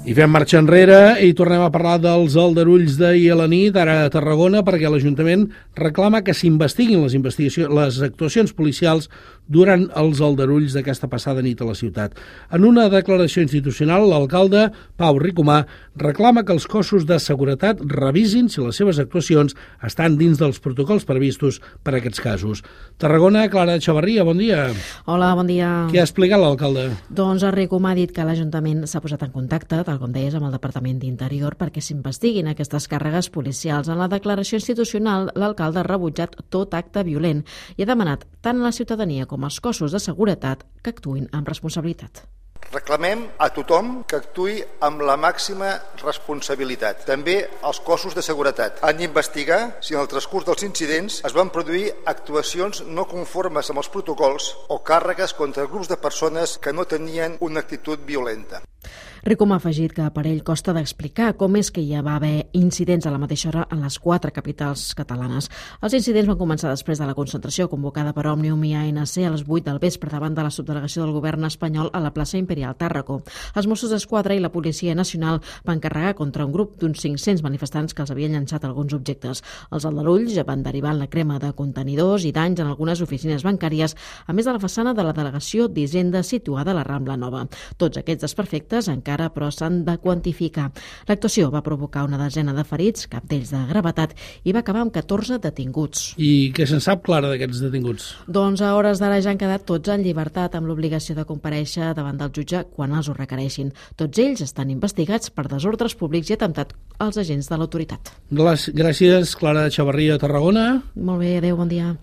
I fem marxa enrere i tornem a parlar dels aldarulls d'ahir a la nit, ara a Tarragona, perquè l'Ajuntament reclama que s'investiguin les actuacions policials durant els aldarulls d'aquesta passada nit a la ciutat. En una declaració institucional, l'alcalde Pau Ricomà reclama que els cossos de seguretat revisin si les seves actuacions estan dins dels protocols previstos per a aquests casos. Tarragona, Clara Echevarria, bon dia. Hola, bon dia. Què ha explicat l'alcalde? Doncs Ricomà ha dit que l'Ajuntament s'ha posat en contacte, tal com deies, amb el Departament d'Interior perquè s'investiguin aquestes càrregues policials. En la declaració institucional, l'alcalde ha rebutjat tot acte violent i ha demanat tant a la ciutadania com als cossos de seguretat que actuïn amb responsabilitat. Reclamem a tothom que actuï amb la màxima responsabilitat. També els cossos de seguretat han d'investigar si en el transcurs dels incidents es van produir actuacions no conformes amb els protocols o càrregues contra grups de persones que no tenien una actitud violenta. Ricomà ha afegit que per ell costa d'explicar com és que hi va haver incidents a la mateixa hora en les 4 capitals catalanes. Els incidents van començar després de la concentració convocada per Òmnium i ANC a les 8 del vespre davant de la subdelegació del govern espanyol a la plaça Imperial Tàrraco. Els Mossos d'Esquadra i la Policia Nacional van carregar contra un grup d'uns 500 manifestants que els havien llançat alguns objectes. Els aldarulls van derivar en la crema de contenidors i danys en algunes oficines bancàries, a més de la façana de la delegació d'Hisenda situada a la Rambla Nova. Tots aquests desperfectes encara però s'han de quantificar. L'actuació va provocar una desena de ferits, cap d'ells de gravetat, i va acabar amb 14 detinguts. I què se'n sap, Clara, d'aquests detinguts? Doncs a hores d'ara ja han quedat tots en llibertat amb l'obligació de comparèixer davant del jutge quan els ho requereixin. Tots ells estan investigats per desordres públics i atemptat als agents de l'autoritat. Gràcies, Clara Echevarria, Tarragona. Molt bé, adéu, bon dia.